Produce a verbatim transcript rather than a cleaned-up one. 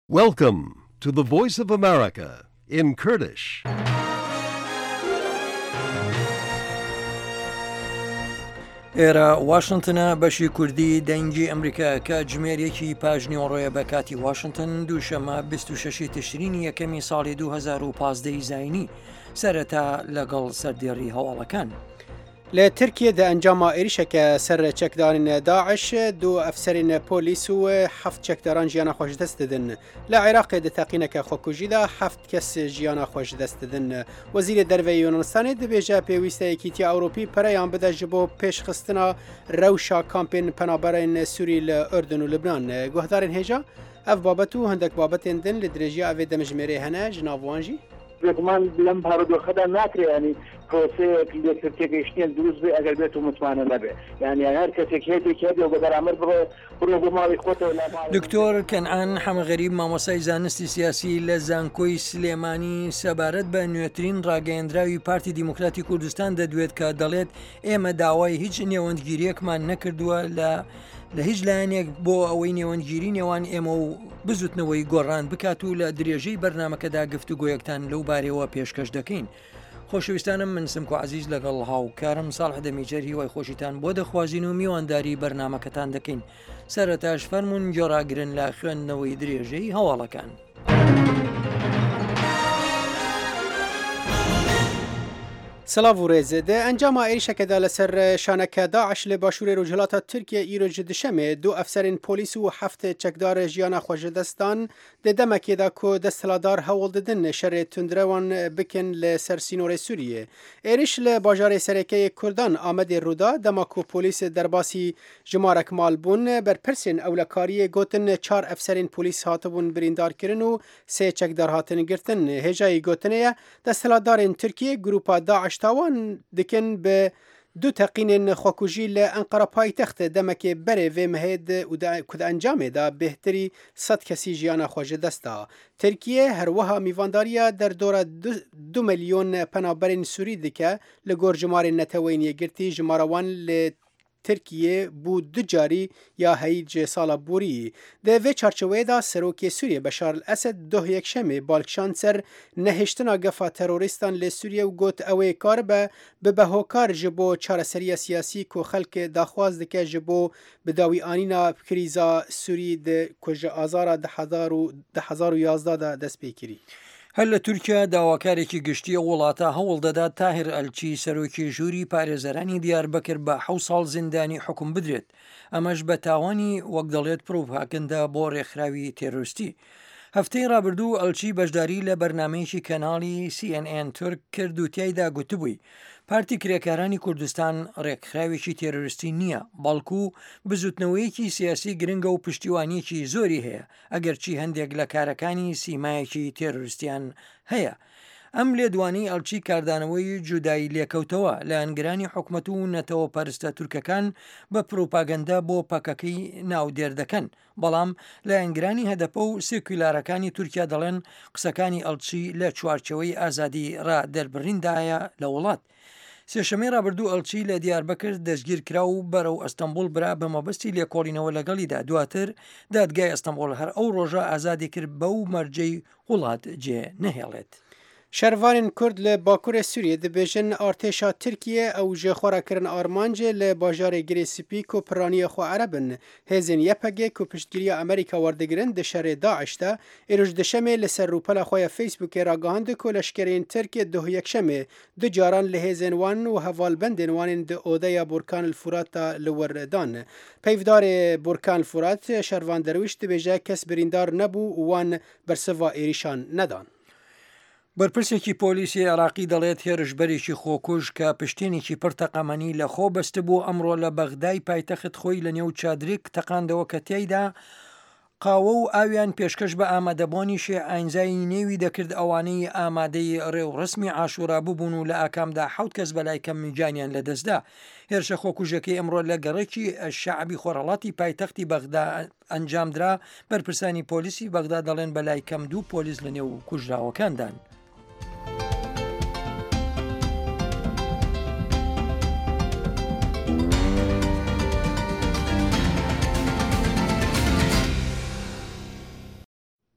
Welcome to the Voice of America in Kurdish. ئێرە واشنتنە، بەشی کوردی دەنگی ئەمریکا، کاتژمێر یەکی پاژنیوەڕۆیە بە کاتی واشنتن، دووشەمە بیست و شەش تشرینی یەکەمی ساڵی دوو هەزار و پازدە ی زایینی. سەرەتا لەگەڵ سەردێڕی هەواڵەکان. لە ترکیە دە ئەنجاما ئێریشەکە سەر چەکدارین داعش دوو ئەفسەرین پۆلیس و حەفت چەکداران ژیانە خۆش دەست دەدن. لە عێراقێ دە تەقینەکە خۆکوژیدا حەفت کەس ژیانە خۆش دەست دەدن. وەزیرê دەرڤەی یۆنانستانê dibêje pêwîste Yekîtiya Ewropî pereyan bide ji bo pêşxistina rewşa kampên penaberên Sûrî li Urdun û Lubnan. Guhdarên hêja ev babet û hindek babetên din li dirêjiya evê demjimêrê hene ji nav wan jî. بێگومان لەم بارودۆخەدا ناکرێ ینی پرۆسەیەک لێکتر تێگەیشتنێک دروست بێ ئەگەر بێت و متمانە نەبێ، یعنی هەر کەسێک هێزێک هەبێ و بە بەرامبەر بڕۆ بڕۆ بۆ ماڵی خۆتەوە لە ماڵی. دکتۆر کەنعان حەمەغەریب مامۆستای زانستی سیاسی لە زانکۆی سلێمانی سەبارەت بە نوێترین ڕاگەیەندراوی پارتی دیموکراتی کوردستان دەدوێت کە دەڵێت ئێمە داوای هیچ نێوەندگیریەکمان نەکردووە لە لە هیچ لایەنێک بۆ ئەوەی نێوەندگیری نێوان ئێمە و بزوتنەوەی گۆڕان بکات و لە درێژەی بەرنمەکەدا گفتوگۆیەکتان لەو بارەوە پێشکەش دەکەین. خۆشەویستانم، من سمکۆ عەزیز لەگەڵ هاوکارم ساڵح دەمیجەر هیوای خۆشیتان بۆ دەخوازین و میوانداری بەرنمەکەتان دەکەین. سەرەتاش فەرمونون گۆڕاگرن لە خوێندنەوەی درێژەی هەواڵەکان. سلاv û rêz di encama êrişeke li ser şaneke Daeş li başûrê Rojhilata Tirkiye îro ji dişemê du efserên polîs û heft çekdar jiyana xwe ji dest dan di demekê de ku desthilatdar hewl didin şerê tundrewan bikin li ser sînorê Sûriyê. Êriş li bajarê serekeyê Kurdan Amedê rûda dema ku polîs derbasî jimarek mal bûn berpirsên ewlekariyê gotin çar efserên polîs hatibûn birîndarkirin û sê çekdar hatin girtin. Hêjayî gotinê ye desthilatdarên Tirkiye grûpa Daeş tawan dikin bi du teqînên xwekujî li Enqera paytext demekê berê vê mehê û ku di encamê de bêhtirî sed kesî jiyana xwe ji dest da. Tirkiye herwiha mîvandariya derdora du milyon penaberên Sûrî dike li gor jimarên neteweyên yekgirtî jimara wan li Tirkiye bû du carî ya heyî ji sala borî. Di vê çarçoveyê de Serokê Sûriye Beşar el-Esed duh yekşemê bal kişand ser nehiştina gefa terorîstan li Sûriye û got ew ê karibe bibe hokar ji bo çareseriya siyasî ku xelk daxwaz dike ji bo bi anîna krîza Sûrî di ku ji azara du hezar û yazdeh de dest pê kirî. هەر لە تورکیا داواکارێکی گشتی وڵاتە هەوڵ دەدات تاهیر ئەلچی سەرۆکی ژووری پارێزەرانی دیاربەکر بە حەوت ساڵ زیندانی حکوم بدرێت، ئەمەش بە تاوانی وەک دەڵێت پروپاگەندە بۆ ڕێکخراوی تێرۆریستی. هەفتەی ڕابردوو ئەلچی بەشداری لە بەرنمەیەکی کەناڵی سی ئێن ئێن تورک کرد و تیایدا گوتبووی پارتی کرێکارانی کوردستان ڕێکخراوێکی تێرۆریستی نییە، بەڵکو بزوتنەوەیەکی سیاسی گرنگە و پشتیوانیەکی زۆری هەیە، ئەگەرچی هەندێک لە کارەکانی سیمایەکی تێرۆریستیان هەیە. ئەم لێدوانی ئەلچی کاردانەوەی جودایی لێکەوتەوە لایەنگرانی حکومەت و نەتەوە پەرستە تورکەکان بە پروپاگەندە بۆ پەکەکەی ناودێر دەکەن، بەڵام لایەنگرانی هەدەپە و سێکولارەکانی تورکیا دەڵێن قسەکانی ئەلچی لە چوارچەوەی ئازادی ڕا دەربڕیندایە لە وڵات. سێشەمەی ڕابردوو ئەلچی لە دیاربەکر دەستگیر کرا و بەرەو ئەستەنبوڵ برا بە مەبەستی لێکۆڵینەوە لەگەڵیدا. دواتر دادگای ئەستەنبوڵ هەر ئەو ڕۆژە ئازادی کرد بەو مەرجەی وڵات جێ نەهێڵێت. شەرڤانên Kurd li Bakurê Sûriyê dibêjin artêşa Tirkiye ew ji xwe re kirin armancê li bajarê Girê Spî ku piraniya xwe Ereb in. Hêzên Y P G ku piştgiriya Amerîka werdigirin di şerê Daeş de îro ji dişemê li ser rûpela xwe ya Facebookê ragihand ku leşkerên Tirkiye duh yekşemê du caran li hêzên wan û hevalbendên wan ên di odeya Burkan el Furat de li wir dan. Peyvdarê Burkan el Furat Şervan Derwîş dibêje kes birîndar nebû û wan bersiva êrişan nedan. بەرپرسێکی پۆلیسی عێراقی دەڵێت هێرشبەرێکی خۆکوژ کە پشتێنێکی پڕ تەقەمەنی لە خۆ بەستبوو ئەمڕۆ لە بەغدای پایتەخت خۆی لە نێو چادرێک تەقاندەوە کە تیایدا قاوە و ئاویان پێشکەش بە ئامادەبوونی شێ ئاینزای نێوی دەکرد ئەوانەی ئامادەی ڕێوڕسمی عاشورا ببوون و لە ئاکامدا حەوت کەس بەلای کەم گیانیان لەدەستدا. هێرشە خۆکوژەکەی ئەمڕۆ لە گەڕەکی شەعبی خۆرهەڵاتی پایتەختی بەغدا ئەنجامدرا. بەرپرسانی پۆلیسی بەغدا دەڵێن بەلای کەم دوو پۆلیس لە نێو کوژراوەکاندان.